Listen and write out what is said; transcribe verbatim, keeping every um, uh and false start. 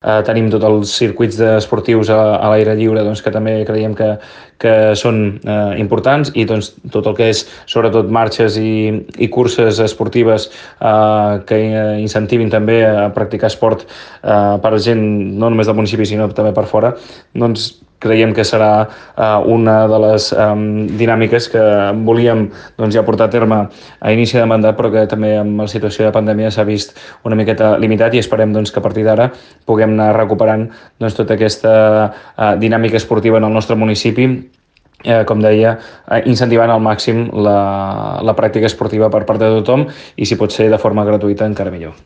Eh, tenim tots els circuits esportius a, a l'aire lliure, doncs, que també creiem que, que són eh, importants, i doncs, tot el que és sobretot marxes i, i curses esportives eh, que incentivin també a practicar esport eh, per gent no només del municipi sinó també per fora, doncs creiem que serà eh, una de les eh, dinàmiques que volíem doncs, ja portar a terme a inici de mandat, però que també amb la situació de pandèmia s'ha vist una miqueta limitat, i esperem doncs, que a partir d'ara puguem anar recuperant doncs, tota aquesta eh, dinàmica esportiva en el nostre municipi, eh, com deia, eh, incentivant al màxim la, la pràctica esportiva per part de tothom, i si pot ser de forma gratuïta encara millor.